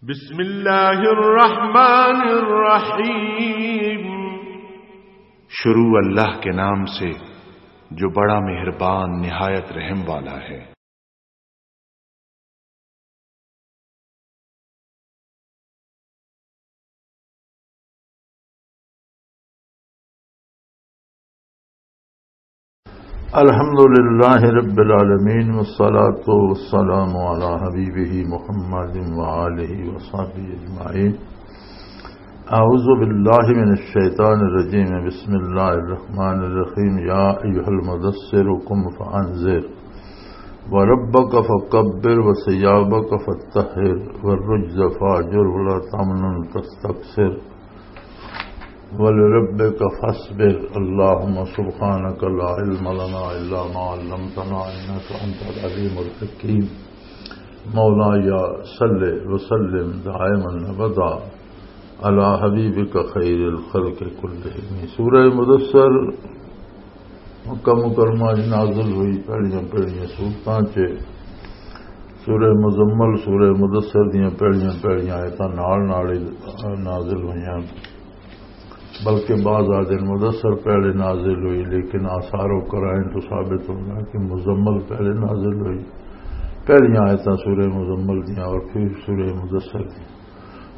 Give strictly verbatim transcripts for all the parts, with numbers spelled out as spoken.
بسم اللہ الرحمن الرحیم۔ شروع اللہ کے نام سے، جو بڑا مہربان، نہایت رحم والا ہے۔ الحمد لله رب العالمين، والصلاة والسلام على حبيبه محمد وآله وصحبه أجمعين. أعوذ بالله من الشيطان الرجيم. بسم الله الرحمن الرحيم. يا أيها المدثر قم فأنذر وربك فكبر وثيابك فطهر والرجز فاهجر ولا تمنن تستكثر ولربك فاصبر. اللهم سبحانك لا علم لنا إلا ما علمتنا إنك أنت العليم الحكيم. مولاي صل وسلم دائما أبدا على حبيبك خير الخلق كلهم. سورہ مدثر مکہ مکرمہ وچ نازل ہوئی، پہلیاں پہلیاں سورتاں چ سورہ مزمل، سورہ مدثر دیاں پہلیاں پہلیاں آیتاں نال نال ہی نازل ہوئیاں، بلکہ بعض آدھے مدثر پہلے نازل ہوئی، لیکن آثار و قرائن تو ثابت ہوتا کہ مزمل پہلے نازل ہوئی، پہلیاں آیتاں سورہ مزمل دیاں اور پھر سورہ مدثر دیاں۔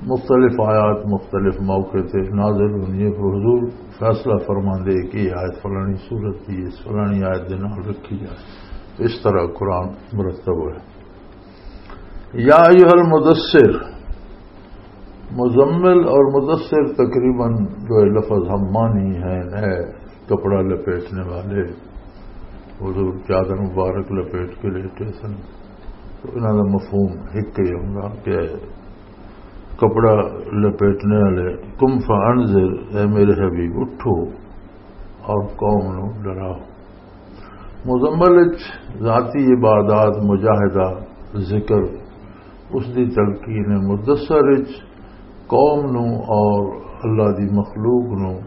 مختلف آیات مختلف موقع تے نازل ہوندی ہے، پر حضور فیصلہ فرماندے کہ یہ آیت فلانی صورت دی، اس فلانی آیت دے نال رکھی جائے۔ تو اس طرح قرآن مرتب ہویا۔ یا ایھا المدثر، مزمل اور مدثر تقریباً جو ہے لفظ ہم معنی ہیں، ہے کپڑا لپیٹنے والے۔ حضور چادر مبارک لپیٹ کے لیٹے سن، تو انہاں دا مفہوم ایک ہی ہوندا کہ کپڑا لپیٹنے والے۔ قم فانذر، اے میرے حبیب، اٹھو اور قوم نو ڈراؤ۔ مزمل وچ ذاتی عبادات، مجاہدہ، ذکر، اس دی تلقین ہے۔ مدثر وچ قوم نو اور اللہ دی مخلوق نو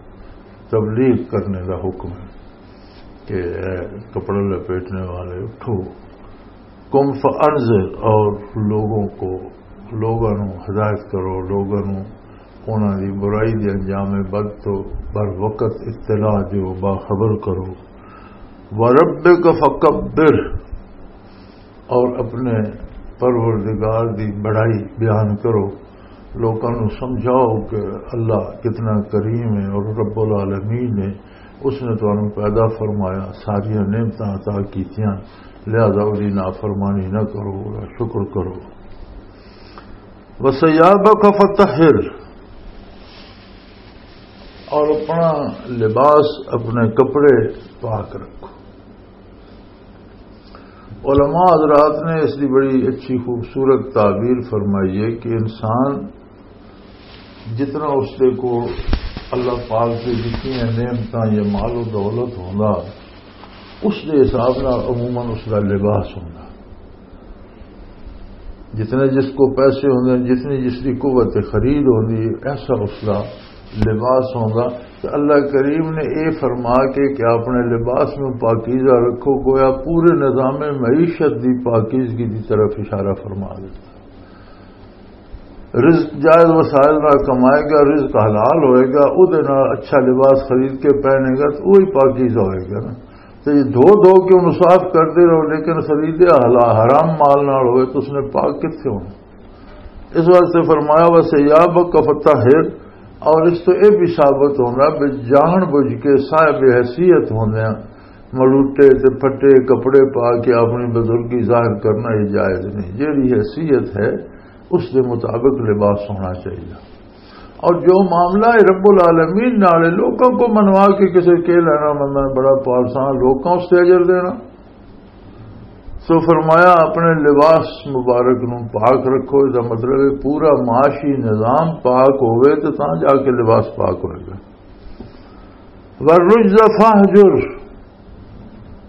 تبلیغ کرنے دا حکم ہے کہ اے کپڑا لپیٹنے والے، اٹھو۔ قم فانذر، اور لوگوں کو، لوگاں نو ہدایت کرو، لوگاں نو انہاں دی برائی دے انجام بد تو بر وقت اطلاع دیو، باخبر کرو۔ وربک فکبر، اور اپنے پروردگار دی بڑائی بیان کرو، لوکاں نو سمجھاؤ کہ اللہ کتنا کریم ہے اور رب العالمین ہے، اس نے تانوں پیدا فرمایا، ساریاں نعمتاں عطا کیتیاں، لہذا اس دی نافرمانی نہ کرو، شکر کرو۔ وثیابک فطہر، اور اپنا لباس، اپنے کپڑے پاک رکھو۔ علماء حضرات نے اس کی بڑی اچھی خوبصورت تعبیر فرمائی ہے کہ انسان جتنا اس دے کو اللہ پاک سے جتنی نعمتاں یا مال و دولت ہوندا، اس دے حساب نال عموماً اس دا لباس ہوندا۔ جتنے جس کو پیسے ہوندے، جتنی جس کی قوت خرید ہوندی، ایسا اس دا لباس ہوندا۔ تو اللہ کریم نے اے فرما کے کہ اپنے لباس میں پاکیزہ رکھو، گویا پورے نظام معیشت دی پاکیزگی دی طرف اشارہ فرما دیتا۔ رزق جائز وسائل نال کمائے گا، رزق حلال ہوئے گا، اودے نال اچھا لباس خرید کے پہنے گا تو وہی پاکیزہ ہوئے گا نا۔ تو یہ دھو دھو کے انہوں صاف کرتے رہو، لیکن خریدے حلا-، حرام مال نال ہوئے تو اس نے پاک کتنے ہونا؟ اس واسطے فرمایا، وثیابک فطہر، اور اس تو یہ بھی ثابت ہونا بھی جان بوجھ کے صاحب حیثیت ہوندے ہیں، مڑوٹے تے پھٹے کپڑے پا کے اپنی بزرگی ظاہر کرنا یہ جائز نہیں۔ جیڑی حیثیت ہے، اس دے مطابق لباس ہونا چاہیے۔ اور جو معاملہ ہے رب العالمین نال ہے، لوکاں کو منوا کے کسے کے لینا، بندہ بڑا پالساں، لوکاں اس سے اجر دینا۔ سو فرمایا، اپنے لباس مبارک نو پاک رکھو، اس دا مطلب ہے پورا معاشی نظام پاک ہوئے تو تاں جا کے لباس پاک ہوئے گا۔ والرجز فاہجر،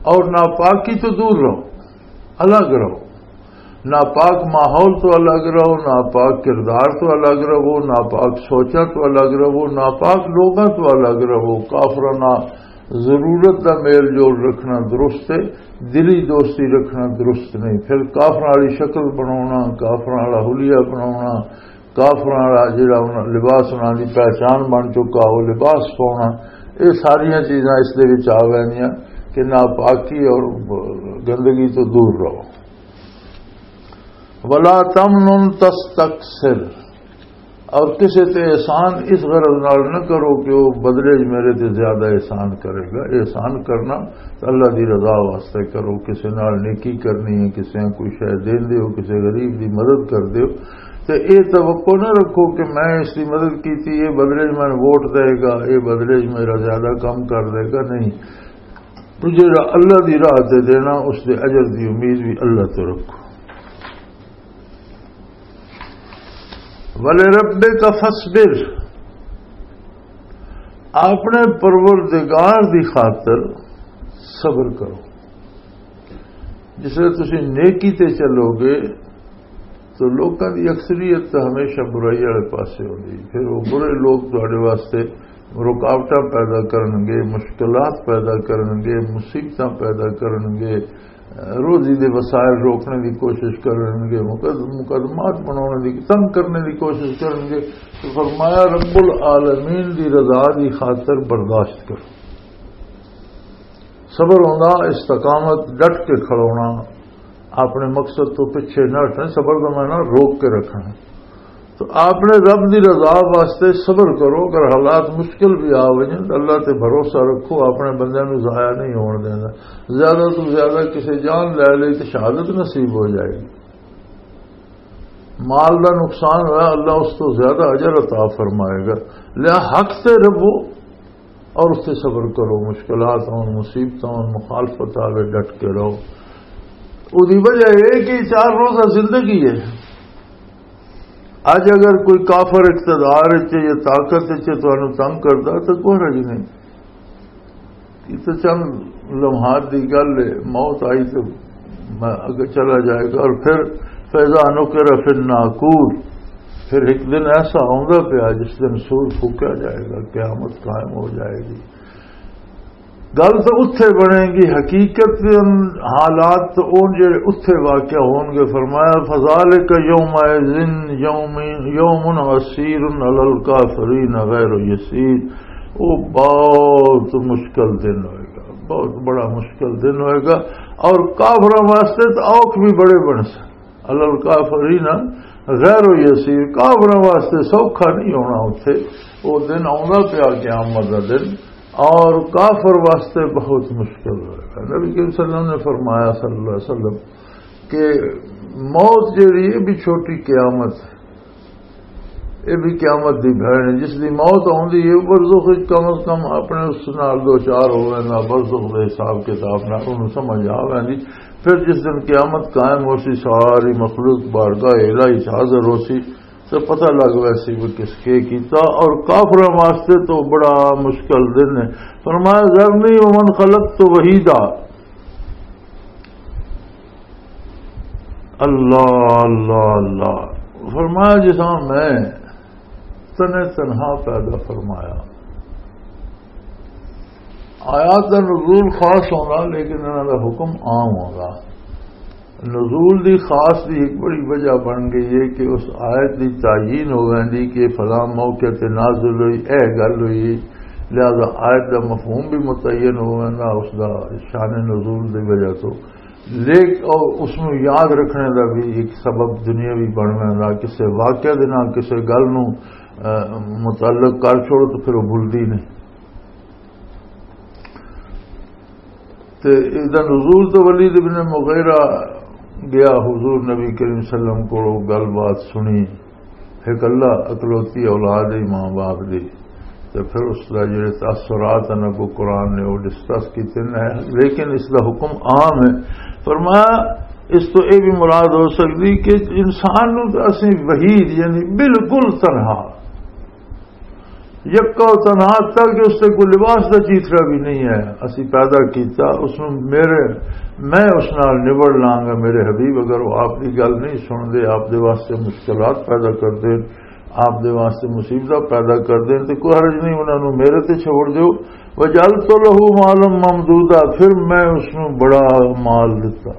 اور ناپاکی تو دور رہو، الگ رہو۔ ناپاک ماحول تو الگ رہو، ناپاک کردار تو الگ رہو، ناپاک سوچاں تو الگ رہو، ناپاک لوگاں تو الگ رہو۔ کافراں نال ضرورت دا میل جول رکھنا درست ہے، دلی دوستی رکھنا درست نہیں۔ پھر کافراں والی شکل بناونا، کافراں والا حلیہ بناونا، کافراں والا جڑا انہاں، لباس انہاں دی پہچان بن چکا، وہ لباس پاؤنا، یہ ساریاں چیزاں اس دے وچ آ ویندیاں کہ ناپاکی اور گندگی تو دور رہو۔ ولا تمنن تستکثر، اور کسے تے احسان اس غرض نال نہ کرو کہ وہ بدلے وچ میرے تے زیادہ احسان کرے گا۔ احسان کرنا تے اللہ دی رضا واسطے کرو، کسے نال نیکی کرنی ہے، کسے نوں کوئی شے دین دیو، کسے غریب دی مدد کر دیو، تے اے توقع نہ رکھو کہ میں اس دی مدد کیتی، اے بدلے وچ مینوں ووٹ دے گا، اے بدلے وچ میرا زیادہ کم کر دے گا، نہیں۔ تو جڑا اللہ دی راہ تے دینا، اس دے اجر دی امید بھی اللہ تو رکھو۔ وَلِرَبِّكَ فَاصْبِرْ، اپنے پروردگار دی خاطر صبر کرو۔ جس ویلے تسی نیکی تے چلو گے تو لوکاں دی اکثریت تو ہمیشہ برائی والے پاسے ہوندی، پھر وہ برے لوگ تہاڈے واسطے رکاوٹاں پیدا کرن گے، مشکلات پیدا کرن گے، مصیبتاں پیدا کرن گے، روزی دے وسائل روکنے دی کوشش کرن گے، مقد-، مقدمات بنانے دی، تنگ کرنے دی کوشش کرن گے۔ تو فرمایا، رب العالمین دی رضا دی خاطر برداشت کرو۔ صبر ہوندا استقامت، ڈٹ کے کھڑونا، اپنے مقصد تو پیچھے نہ ہٹنا، صبر دا معنی روک کے رکھنا۔ تو اپنے رب دی رضا واسطے صبر کرو، اگر حالات مشکل بھی آ وجن تو اللہ تے بھروسہ رکھو، اپنے بندیاں نوں ضائع نہیں ہون دینا۔ زیادہ تو زیادہ کسے جان لے لئی تو شہادت نصیب ہو جائے گی۔ مال دا نقصان ہویا، اللہ اس تو زیادہ اجر عطا فرمائے گا۔ لیا حق تے رہو، اور اس تے صبر کرو، مشکلات ہون، مصیبتاں ہون، مخالفت آوے، ڈٹ کے رہو۔ اودی وجہ یہ کہ چار روزہ زندگی ہے۔ اج اگر کوئی کافر اقتدار وچ یا طاقت وچ تانوں تنگ کردا تو کوئی حرج نہیں۔ یہ تو چند لمحات دی گل ہے، موت آئی تو میں اگے چلا جائے گا۔ اور پھر فیضا نکر فی الناقور، پھر ایک دن ایسا آوندا پیا جس دن سور پھوکیا جائے گا، قیامت قائم ہو جائے گی۔ گل تو اتھے بنے گی، حقیقت دے ان-، حالات تو اون جڑے اتھے واقع ہون گے۔ فرمایا، فذالک یومئذ یوم، یوم عسیر علی الکافرین غیر یسیر۔ وہ بہت مشکل دن ہوئے گا، بہت بڑا مشکل دن ہوئے گا، اور کافراں واسطے تو اوکھ بھی بڑے بن سن۔ علی الکافرین غیر یسیر، کافراں واسطے سوکھا نہیں ہونا اتھے۔ وہ دن آوندا پیا قیامت دا دن، اور کافر واسطے بہت مشکل ہوئے گا۔ نبی کریم صلی اللہ علیہ وسلم نے فرمایا، صلی اللہ علیہ وسلم، کہ موت جڑی ہے بھی چھوٹی قیامت ہے، یہ بھی قیامت دی بہن ہے۔ جس دی موت ہوندی ہے، برزخ وچ کم از کم اپنے اس نال دو چار ہو ویندا، برزخ دے حساب کتاب نال انہوں سمجھ آ ویندی۔ پھر جس دن قیامت قائم ہو سی، ساری مخلوق بارگاہ الہی وچ حاضر ہو سی، تو پتہ لگ ویسی وہ کس کے کیتا۔ اور کافراں واسطے تو بڑا مشکل دن ہے۔ فرمایا، ذرنی ومن خلقت وحیدا۔ اللہ، اللہ، اللہ۔ فرمایا، جس طرح میں تنے تنہا پیدا فرمایا۔ آیات دا نزول خاص ہونا، لیکن انہاں دا حکم عام ہونا۔ نزول دی خاص دی ایک بڑی وجہ بن گئی ہے کہ اس آیت دی تعین ہو ویندی کہ فلاں موقع تے نازل ہوئی، اے گل ہوئی، لہذا آیت دا مفہوم بھی متعین ہو ویندا، اس دا شان نزول دی وجہ تو۔ لیکن اور اس نوں یاد رکھنے دا بھی ایک سبب دنیاوی بن ویندا، کسے واقعہ دے نال کسے گل نوں، آ، متعلق کر چھوڑو تو پھر وہ بھلدی نہیں۔ تے اس دا نزول تو ولید ابن مغیرہ گیا حضور نبی کریم صلی اللہ علیہ وسلم کو، گل بات سنی، ایک اللہ اکلوتی اولاد ہے ماں باپ دی، تے پھر اس دا جڑے تاثرات ہیں کو قرآن نے وہ ڈسکس کیتے ہیں، لیکن اس دا حکم عام ہے۔ فرمایا، اس تو یہ بھی مراد ہو سکتی کہ انسان نو تو اسی وحید، یعنی بالکل تنہا، یکا و تنہا، تاکہ اس تے کوئی لباس دا چیترا بھی نہیں ہے، اسی پیدا کیتا، اس نو میرے، میں اس نال نبڑ لاں گا، میرے حبیب، اگر وہ آپ دی گل نہیں سن دے، آپ دے واسطے مشکلات پیدا کر دے، آپ دے واسطے مصیبتاں پیدا کر دے، تے کوئی حرج نہیں، انہاں نو میرے تے چھوڑ دیو۔ وجعلت له مالا ممدودا، پھر میں اس نو بڑا مال دتا۔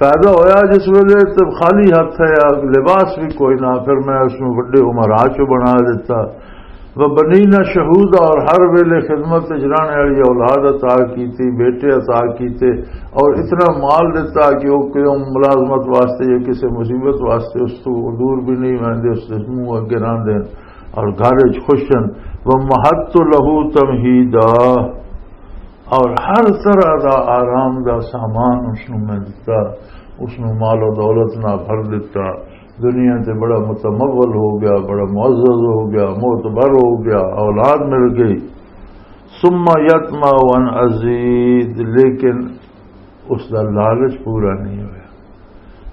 پیدا ہویا جس ویلے تے خالی ہاتھ ہے، لباس بھی کوئی نہ، پھر میں اس نوں وڈے عمرا چ بنا دیتا۔ وبنینا شہودا، اور ہر ویلے خدمت وچ رہنے والی اولاد عطا کیتی، بیٹے عطا کیتے، اور اتنا مال دیتا کہ وہ کوئی ملازمت واسطے یا کسی مصیبت واسطے اس تو دور بھی نہیں ہوندے، اس دے منہ اگے رہندے، اور گھر وچ خوش ہن۔ ومہدت لہ تمہیدا، اور ہر طرح دا آرام دا سامان اس نوں میں دتا، اس نوں مال و دولت نال بھر دتا۔ دنیا تے بڑا متمول ہو گیا، بڑا معزز ہو گیا، معتبر ہو گیا، اولاد مل گئی۔ ثم یطمع ان ازید، لیکن اس دا لالچ پورا نہیں ہویا۔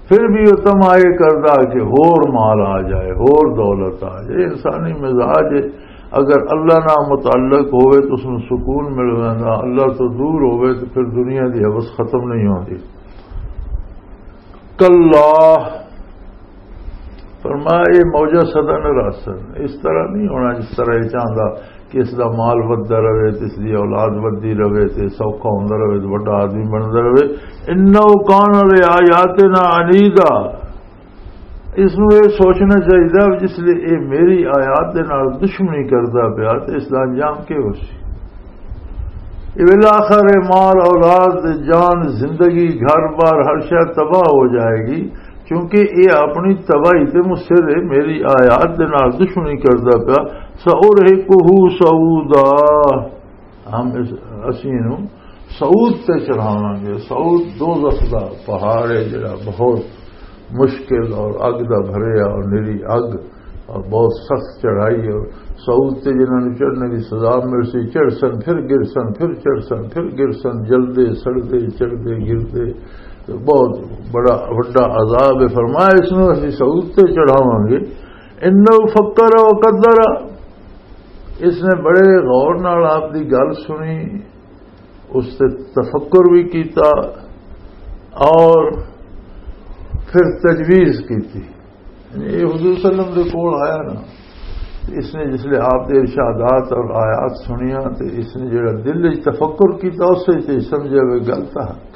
پھر بھی وہ طمع یہ کردا کہ ہور مال آ جائے، ہور دولت آ جائے۔ انسانی مزاج ہے، اگر اللہ نال متعلق ہوئے تو اس نوں سکون مل جاندا، اللہ تو دور ہوئے تو پھر دنیا دی حوث ختم نہیں ہوندی۔ کلا، فرمایا، یہ موجہ سدا نہ رہسن۔ اس طرح نہیں ہونا جس طرح یہ چاہندا کہ اس دا مال وددا رہے تے اس دی اولاد ودی رہے تے سوکھا ہوندا رہے تے وڈا آدمی بندا رہے۔ انہ کان لآیاتنا عنیدا۔ اس نوں یہ سوچنا چاہیے، جس لئے یہ میری آیات دے نال دشمنی کردا پیا تے اس دا انجام کی ہو سی؟ یہ بالآخر یہ مال، اولاد، جان، زندگی، گھر بار، ہر شے تباہ ہو جائے گی، کیونکہ یہ اپنی تباہی تے مصر ہے، میری آیات دے نال دشمنی کردا پیا۔ سأرهقه صعودا، ہم اس، اسی نوں صعود تے چڑھاواں گے۔ صعود دوزخ دا پہاڑ ہے جڑا بہت مشکل اور اگ دا بھریا اور نری اگ اور بہت سخت چڑھائی، اور صعود تے جنہاں نوں چڑھنے دی سزا مل سی، چڑھ سن، پھر گر سن، پھر چڑھ سن، پھر گر سن، جلدے، سڑدے، چڑھدے، گردے۔ تے بہت بڑا وڈا عذاب ہے۔ فرمایا، اس نوں اسی صعود تے چڑھاواں گے۔ انہ فکر و قدر، اس نے بڑے غور نال آپ دی گل سنی، اس تے تفکر بھی کیتا اور پھر تجویز کیتی۔ یعنی یہ حضور صلی اللہ علیہ وسلم دے کول آیا نا، اس نے جس لئے آپ دے ارشادات اور آیات سنیا تے اس نے جڑا دل وچ تفکر کیتا، اس وچ تے سمجھیا وہ گل تاں حق۔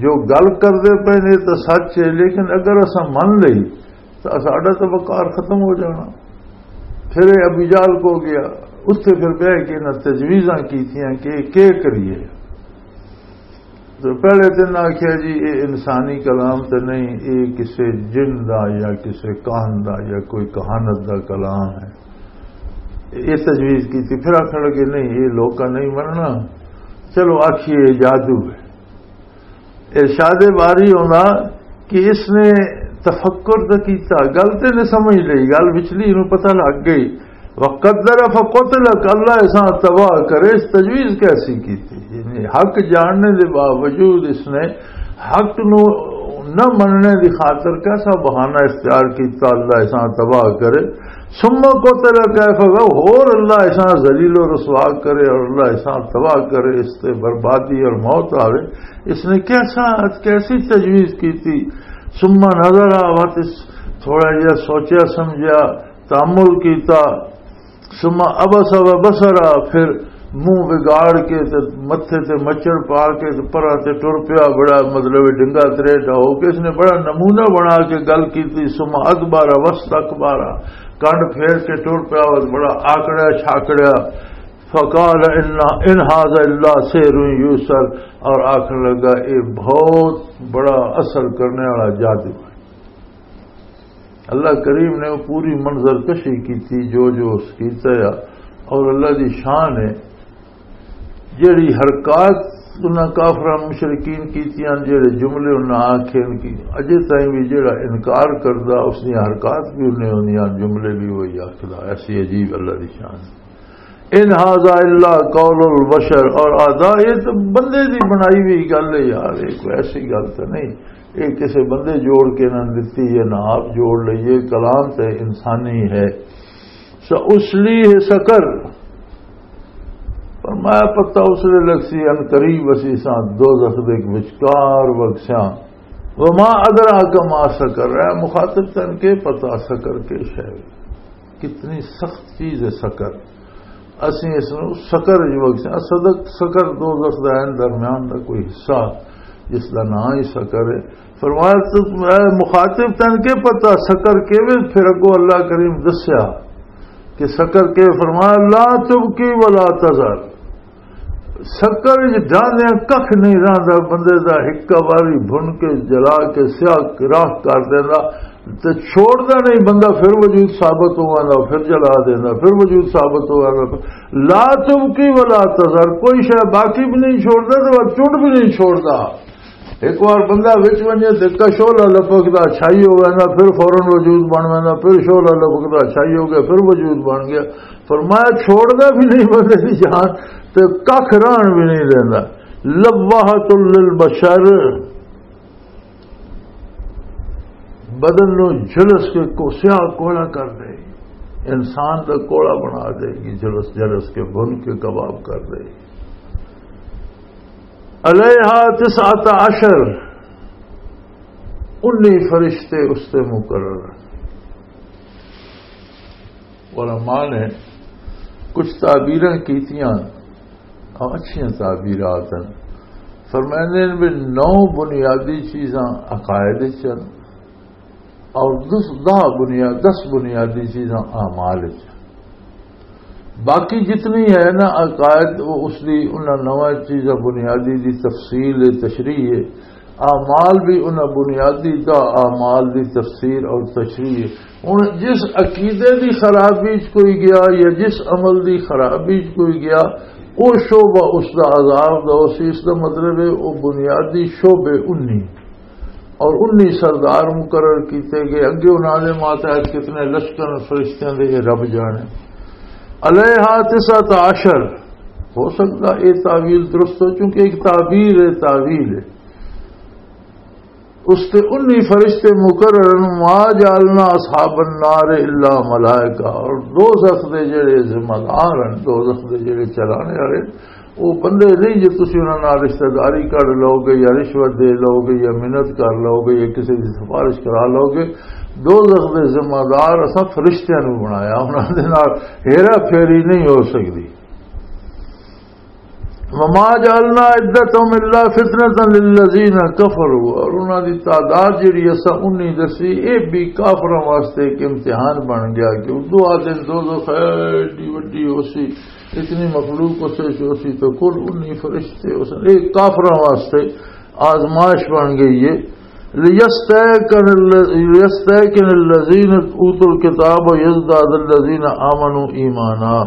جو گل کردے پے نے تے سچ ہے، لیکن اگر اساں من لئی تو ساڈا تو وقار ختم ہو جانا۔ پھر یہ ابو جہل کو گیا، اتھے پھر بہ کے انہاں تجویزاں کیتیاں کہ یہ کی کریے۔ تو پہلے تے انہاں آکھیا، جی، یہ انسانی کلام تے نہیں، یہ کسے جن دا یا کسے کاہن دا یا کوئی کہانت دا کلام ہے۔ یہ تجویز کیتی، پھر آکھن لگے، نہیں، یہ لوکاں نہیں مننا، چلو آکھیے یہ جادو ہے۔ ارشاد باری ہوندا کہ اس نے تفکر تو کیتا، گل تے نے سمجھ لئی، گل وچلی نوں پتہ لگ گئی۔ وقدر فقتل، کہ اللہ ایسا تباہ کرے، اس تجویز کیسی کیتی؟ یعنی حق جاننے دے باوجود اس نے حق نو نہ مننے دی خاطر کیسا بہانہ اختیار کیتا، اللہ ایسا تباہ کرے۔ ثم قتل کیف، ہور اللہ ایسا ذلیل و رسوا کرے اور اللہ ایسا تباہ کرے، اس تے بربادی اور موت آوے۔ اس نے کیسا، کیسی تجویز کی تھی؟ ثم نظر، وقت اس تھوڑا جہا سوچیا سمجھیا، تامل کیتا۔ ثم عبس و بسر، پھر منہ وگاڑ کے تے متھے تے مچڑ پا کے تے پرا تے ٹر پیا، بڑا مطلب ڈنگا تریٹا ہو کے اس نے بڑا نمونہ بنا کے گل کی تھی۔ ثم ادبر واستکبر، کنڈ پھیر کے ٹر پیا، بڑا آکڑیا چھاکڑیا۔ فقال ان، ان هذا الا سحر یؤثر، اور آخر لگا، یہ بہت بڑا اثر کرنے والا جادو ہے۔ اللہ کریم نے وہ پوری منظر کشی کی تھی، جو جو اس کیتا ہے، اور اللہ دی شان ہے، جڑی حرکات انہاں کافراں مشرکین کیتیاں، جڑے جملے انہاں آکھے، ان کی اجے تائیں بھی جڑا انکار کردا، اس دی حرکات بھی انہیں ہوندیاں، جملے بھی وہی آکھدا۔ ایسی عجیب اللہ دی شان۔ ان هذا الا قول البشر، اور آدا یہ تو بندے دی بنائی ہوئی گل ہے یار، یہ کوئی ایسی گل تو نہیں، یہ کسے بندے جوڑ کے نہ دتی، یہ نہ آپ جوڑ لئیے، کلام تے انسانی ہے۔ سأصلیہ سقر، فرمایا پتہ اس لے لگ سی، ان قریب اسی ساں دوزخ دے وچکار وگسیاں۔ وما ادراک ما سقر، اے مخاطب تن کے پتہ سقر کے شے، کتنی سخت چیز ہے سقر۔ اسیں اس نوں سقر جو وقت سے، صدق سقر دوزخ دا عین درمیان دا کوئی حصہ۔ جس دا نام ہی سقر ہے۔ فرمایا، تو اے مخاطب، تین کے پتہ سقر کیویں؟ پھر اگوں اللہ کریم دسیا کہ سقر کے، فرمایا، "لا تبقی ولا تذر۔" سقر وچ جاندیاں ککھ نہیں رہندا، بندے دا ہکا واری بھن کے، جلا کے، سیاہ راکھ کر دیندا۔ تے چھوڑدا نہیں بندہ، پھر وجود ثابت ہو آندا، پھر جلا دیندا، پھر وجود ثابت ہو آندا۔ لا تبقی ولا تذر، کوئی شے باقی بھی نہیں چھوڑدا تے وہ چٹ بھی نہیں چھوڑدا۔ ایک بار بندہ وچ ونجے تے کا شعلہ لپکدا چھائی ہو ویندا، پھر فوراً وجود بن ویندا، پھر شعلہ لپکدا چھائی ہو گیا، پھر وجود بن گیا۔ فرمایا، چھوڑدا بھی نہیں بندے دی جان، تے ککھ رہن بھی نہیں دیندا۔ لواحۃ للبشر، بدن نو جھلس کے کو سیاہ کوڑا کر دے، انسان دا کوڑا بنا دے گی، جھلس جھلس کے بھن کے کباب کر دے گی۔ علیہا تسعۃ عشر، انی فرشتے اس تے مقرر ہیں۔ علماء نے کچھ تعبیراں کیتیاں، اور اچھیاں تعبیرات ہیں۔ فرمائندے نے بھی نو بنیادی چیزاں عقائد وچ ہیں اور دس، دہ بنیاد، دس بنیادی چیزاں اعمال وچ ہیں۔ باقی جتنی ہے نا عقائد، وہ اس دی، انہاں نواں چیزاں بنیادی دی تفصیل ہے، تشریح ہے۔ اعمال بھی انہاں بنیادی دا اعمال دی تفسیر اور تشریح۔ ہن جس عقیدے دی خرابی چ کوئی گیا یا جس عمل دی خرابی چ کوئی گیا، او شعبہ اس دا عذاب دا اسی۔ اس دا مطلب ہے او بنیادی شعبے انی اور انی سردار مقرر کیتے گئے۔ اگے انہاں دے ماتحت کتنے لشکر فرشتیاں دے، یہ رب جانے۔ علیہا تسعۃ عشر، ہو سکتا اے تعویل درست ہو، چونکہ ایک تعبیر ہے، تعویل ہے۔ اس تے انی فرشتے مقرر ہیں، "ما جعلنا اصحاب النار الا ملائکہ۔" اور دوزخ دے جڑے ذمہ دار ہیں، دوزخ دے جڑے چلانے والے، وہ بندے نہیں جو تسی انہاں نال رشتہ داری کر لو گے یا رشوت دے لو گے یا منت کر لو گے یا کسی دی سفارش کرا لو گے۔ دوزخ دے ذمہ دار اساں فرشتیاں نوں بنایا، انہاں دے نال ہیرا پھیری نہیں ہو سکدی۔ وما جعلنا عدتهم الا فتنة للذين كفروا، اور انہاں دی تعداد جڑی اساں انی دسی، اے بھی کافراں واسطے ایک امتحان بن گیا کہ اردو آدھے دوزخ ایڈی وڈی ہو سی، اتنی مخلوق اسے چ ہو سی، تو کل انی فرشتے ہو سن۔ اے کافراں واسطے آزمائش بن گئی ہے۔ لِيَسْتَيْقَنَ الَّ-، لِيَسْتَيْقَنَ الَّذِينَ أُوتُوا الْكِتَابَ وَيَزْدَادَ الَّذِينَ آمَنُوا إِيمَانًا۔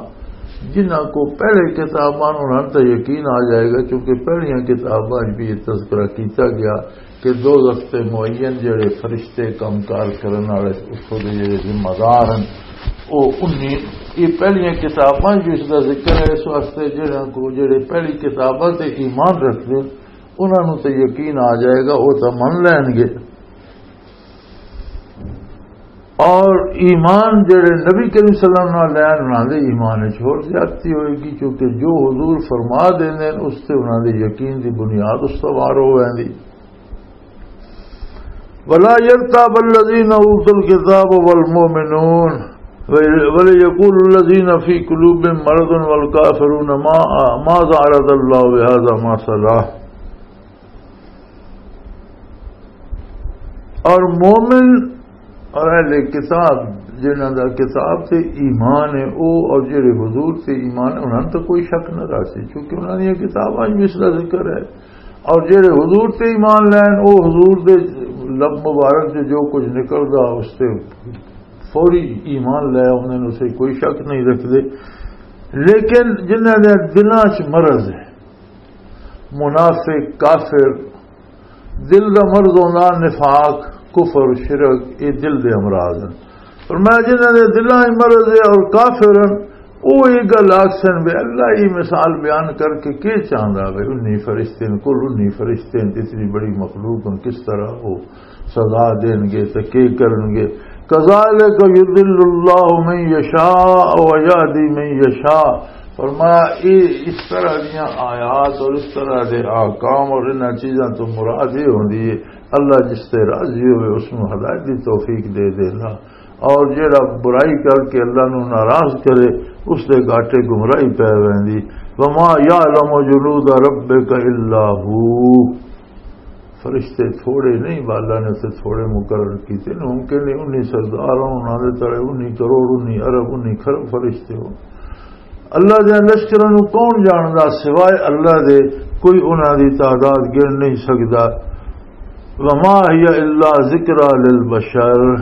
جنہاں کو پہلے کتاباں انہاں تے یقین آ جائے گا، کیونکہ پہلیاں کتاباں وچ بھی یہ تذکرہ کیتا گیا کہ دوزخ تے معین جڑے فرشتے کام کار کرن والے، اس دے جڑے ذمہ دار ہیں، او انی، یہ پہلیاں کتاباں وچ بھی اس دا ذکر ہے۔ اس واسطے جڑاں کو جڑے پہلی کتاباں تے ایمان رکھدے، انہاں نوں تے یقین آ جائے گا، وہ تو من لین گے۔ اور ایمان جڑے نبی کریم صلی اللہ علیہ وسلم نال لین، انہاں دے ایمان وچ ہور زیادتی ہوئے گی، کیونکہ جو حضور فرما دیندے نے، اس تے انہاں دے یقین دی بنیاد استوار ہو ویندی۔ ولا يرتاب الذين اوتوا الكتاب والمؤمنون وليقول الذين في قلوبهم مرض والكافرون ما، ماذا اراد الله بهذا مثلا۔ اور مومن اور اہل کتاب، جنہاں دا کتاب تے ایمان ہے، او اور جڑے حضور تے ایمان ہے، انہاں تو کوئی شک نہ رہسی، کیونکہ انہاں دی کتاباں وچ اس دا ذکر ہے۔ اور جڑے حضور تے ایمان لین، او حضور دے لب مبارک سے جو کچھ نکلدا، اس تے فوری ایمان لے آوندے نے، اسے کوئی شک نہیں رکھدے۔ لیکن جنہاں دے دلاں 'چ مرض ہے، منافق، کافر، دل دا مرض ہوندا نفاق، کفر، شرک، یہ دل دے امراض ہیں۔ فرمایا، جنہاں دے دلاں 'چ مرض ہے اور کافر ہیں، وہ یہ گل آکھسن بھی اللہ یہ مثال بیان کر کے کی چاہندا وے؟ انی فرشتے نے، کل انی فرشتے نے، اتنی بڑی مخلوق ہیں، کس طرح وہ سزا دین گے تے کی کرن گے؟ کذالک یضل اللہ من یشاء و یہدی من یشاء۔ فرمایا، اے اس طرح دیاں آیات اور اس طرح دے احکام اور انہاں چیزاں تو مراد یہ ہوندی ہے، اللہ جس تے راضی ہوئے اس نوں ہدایت دی توفیق دے دینا، اور جیڑا برائی کر کے اللہ نوں ناراض کرے، اس دے گاٹے گمراہی پے ویندی۔ وما یعلم جنود ربک الا ھو۔ فرشتے تھوڑے نہیں، بالا نے تے تھوڑے مقرر کیتے نے۔ ممکن نہیں انی سردار ہون، انہاں دے تلے انی کروڑ، انی ارب، انی کھرب فرشتے ہون۔ اللہ دے لشکراں نوں کون جاندا سوائے اللہ دے؟ کوئی انہاں دی تعداد گن نہیں سکدا۔ وما هي الا ذکری للبشر،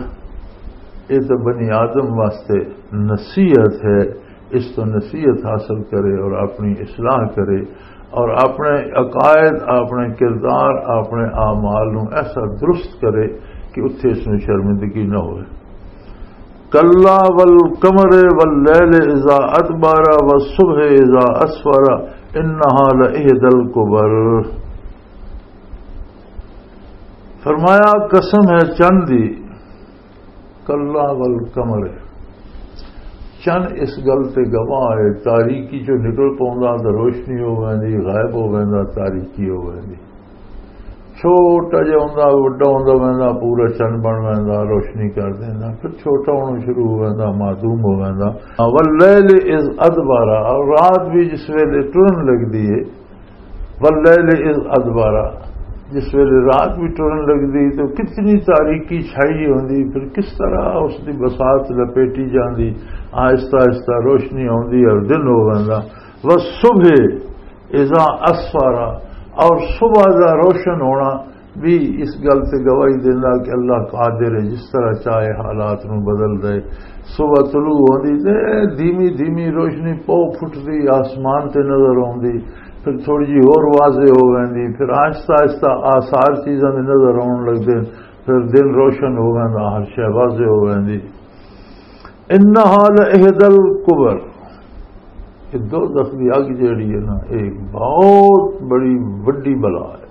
یہ تو بنی آدم واسطے نصیحت ہے۔ اس تو نصیحت حاصل کرے اور اپنی اصلاح کرے اور اپنے عقائد، اپنے کردار، اپنے اعمال نوں ایسا درست کرے کہ اتھے اس نوں شرمندگی نہ ہوئے۔ کلا والقمر واللیل اذا ادبر والصبح اذا اسفر انها لإحدى الكبر۔ فرمایا، قسم ہے چند دی، کلا والقمر۔ چند اس گل تے گواہ ہے، تاریکی چوں نکل پوندا تے روشنی ہو ویندی، غائب ہو ویندا، تاریکی ہو ویندی۔ چھوٹا جہا ہوندا، وڈا ہوندا ویندا، پورا چند بن ویندا، روشنی کر دیندا، پھر چھوٹا ہونا شروع ہو ویندا، معدوم ہو ویندا۔ واللیل اذ ادبر، اور رات بھی جس ویلے ٹرن لگدی ہے، واللیل اذ ادبر، جس ویلے رات بھی ٹرن لگدی تو کتنی تاریکی چھائی ہوندی، پھر کس طرح اس دی بساط لپیٹی جاندی، آہستہ آہستہ روشنی آندی اور دن ہو ویندا۔ والصبح اذا اسفر، اور صبح دا روشن ہونا بھی اس گل تے گواہی دیندا کہ اللہ قادر ہے، جس طرح چاہے حالات نو بدل دے۔ صبح طلوع ہوندی تے دھیمی دھیمی روشنی پو پھٹدی، آسمان تے نظر آندی، پھر تھوڑی جی ہور واضح ہو ویندی، پھر آہستہ آہستہ آثار چیزاں دے نظر آن لگدے، پھر دن روشن ہو ویندا، ہر شے واضح ہو ویندی۔ انہا لإحدى الكبر، یہ دوزخ دی اگ جیڑی ہے نا، یہ بہت بڑی وڈی بلا ہے۔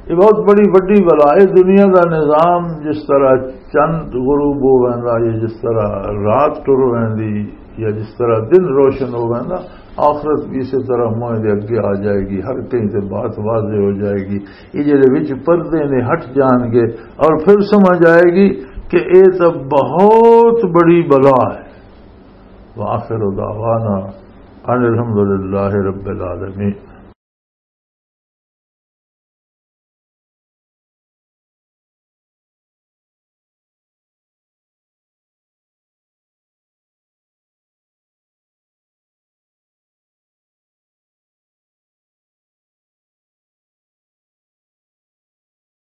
یہ بہت بڑی وڈی بلا ہے۔ دنیا دا نظام جس طرح چند غروب ہو ویندا، یا جس طرح رات ٹر ویندی، یا جس طرح دن روشن ہو ویندا، آخرت بھی اسی طرح موئے دے اگے آ جائے گی، ہر کہیں تے بات واضح ہو جائے گی۔ یہ جڑے وچ پردے نے ہٹ جان گے اور پھر سمجھ آئے گی کہ یہ تو بہت بڑی بلا ہے۔ وآخر دعوانا ان الحمدللہ رب العالمین۔